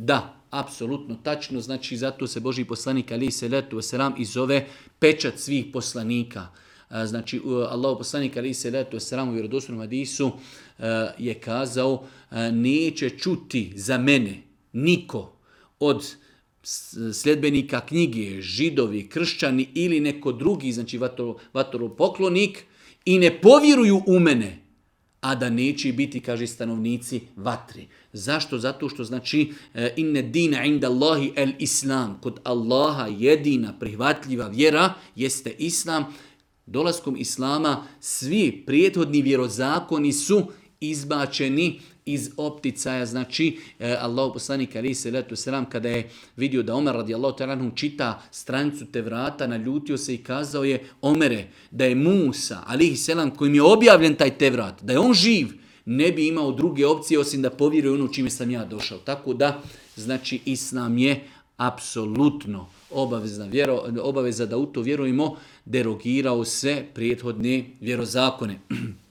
Da, apsolutno tačno, znači zato se Božji poslanik alejhi selatu vesselam i zove pečat svih poslanika. Znači Allahov poslanik alejhi selatu vesselam u vjerodostojnom hadisu je kazao neće čuti za mene niko od sljedbenika knjige, židovi, kršćani ili neko drugi, znači vatoropoklonik i ne povjeruju u mene, a da neće biti, kaže, stanovnici vatri. Zašto? Zato što znači inne dina inda Allahi el islam. Kod Allaha jedina prihvatljiva vjera jeste islam. Dolaskom islama svi prethodni vjerozakoni su izbačeni iz opticaja. Znači Allahu poslanik alejhi selatu vesselam kada je vidio da Omer radijallahu ta'ala anhu čita stranicu Tevrata, naljutio se i kazao je: Omere, da je Musa alejhi selam kojim je objavljen taj Tevrat, da je on živ, ne bi imao druge opcije osim da povjeruje ono čime sam ja došao. Tako da, znači, islam je apsolutno obaveza da u to vjerujemo, derogirao sve prethodne vjerozakone.